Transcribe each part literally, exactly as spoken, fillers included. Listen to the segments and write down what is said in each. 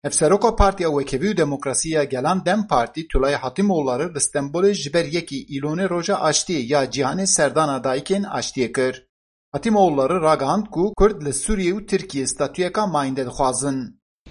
Hevseroka Partiya Wekhevî û Demokrasî ya Gelan DEM Partî Tülay Hatimoğulları li Stenbolê ji ber yekê Îlonê Roja Aştiyê ya Cîhanê serdana dayikên aştiyê kir. Hatimoğulları ragihand ku Kurd li Sûriyê û Tirkiyê statuyeka mayînde dixwazin.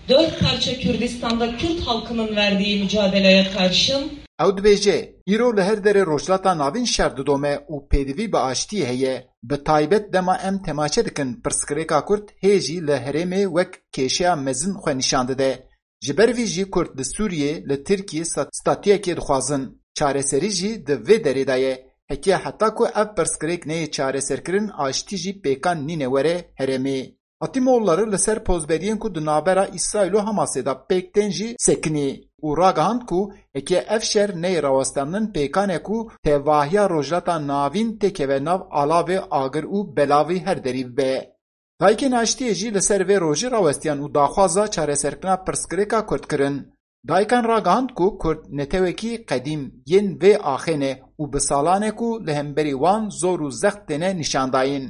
Dört parça Kürdistan'da Kürt halkının verdiği mücadeleye karşın Ew dibêje, îro li her derê Rojhilata Navîn şer didome û pêdivî bi aştiyê heye. Bi taybet dema em temaşe dikin, pirsgirêka Kurd hê jî li herêmê wek kêşeya mezin xwe nîşan dide. Ji ber vî jî Kurd li Sûriyê, li Tirkiyê sta-, statuyekê dixwazin. Çareserî jî di vê derê de ye. Heke heta ku ev pirsgirêk neyê çareserkirin, aştî jî pêkan nîne were herêmê. Hatîmoğulları li ser pozberiyên ku di navbera Îsraîl û Hamasê de pêk tên jî sekinî û ragihand ku heke ev şer neyê rawestandin pêkan e ku tevahiya Rojhilata Navîn têkeve nav alavê agir û belavî her derî bibe. Dayikên Aştiyê jî li ser vê rojê rawestiyan û daxwaza çareserkirina pirsgirêka Kurd kirin. Dayikan ragihand ku Kurd netewekî qedîm yên vê axê ne û bi salan e ku li hemberî wan zor û zext têne nîşandayîn.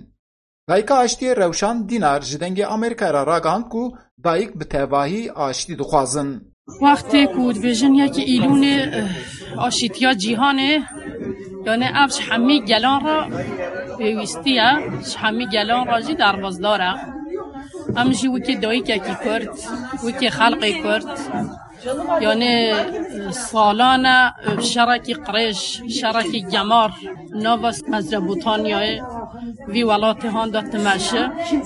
Dayika Aştiyê Rewşan Dînar ji Dengê Amerîkayê re ragihand ku dayik bi tevahî aştî dixwazin. Wextê ku dibêjin yekê Îlûnê, eh, aşîtiya cîhanê, yani ev ji hemî gelan re pêwîstî ye, ji hemî gelan re jî derbasdar e. Em jî wekî dayikekî Kurd, wekî xelqê Kurd, yani, eh, salan e, eh, şerekî qirêj, şerekî gemar, nava Mezopotamyayê, vî welatê han de dimeşe.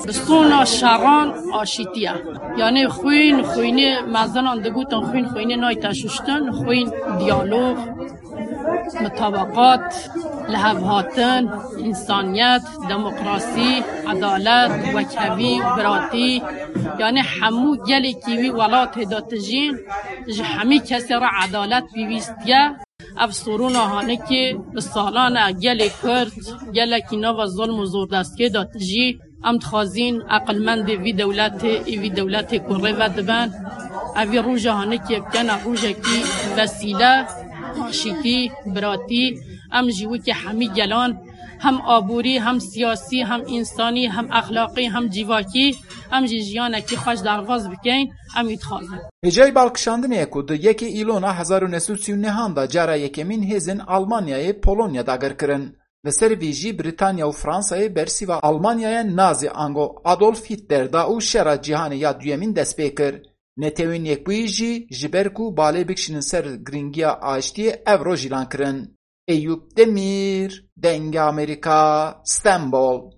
Bi sona şeran aşîtî ye. Yani xwîn, xwînê mezinan digotin, xwîn, xwînê nayte şuştin, xwîn diyalog, mitabeqat, lihevhatin, însaniyet, demokrasî, edalet, wekhevî, biratî. Yani hemû gelekî wî welatê de dijîn, ji hemî kesê re edalet pêwîst ye. Ev sorûna hanikê bi salan e gelê Kurd, gelekî nava zilm û zordestkê de dijî. Em dixwazîn eqilmendê vî dewletê, ê vî dewletê ku rê ve diben, ev vî roja hanikê bikene rojekî vesîle, aşîtî, biratî. Em jî wekî hemî gelan, hem aborî, hem siyasî, hem însanî, hem exlaqî, hem civakî, em jî jiyanekî xweş derbas bikeyn, em wî dixwazin. Hêjayî balkişandinê ye ku di yekê Îlona hezar û neh sed û sî û nehan de cara yekemîn hêzên Almanyayê Polonya dagir kirin. Li ser vî jî Brîtanya û Fransayê bersîva Almanyaya Nazî ango Adolf Hitler da û Şera Cîhanê ya Duyemîn dest pê kir. Netewên Yekbûyî jî ji ber ku balê bikişînin ser girîngiya aştiyê ev roj îlan kirin. Eyûp Demîr, Dengê Amerîka, Stenbol.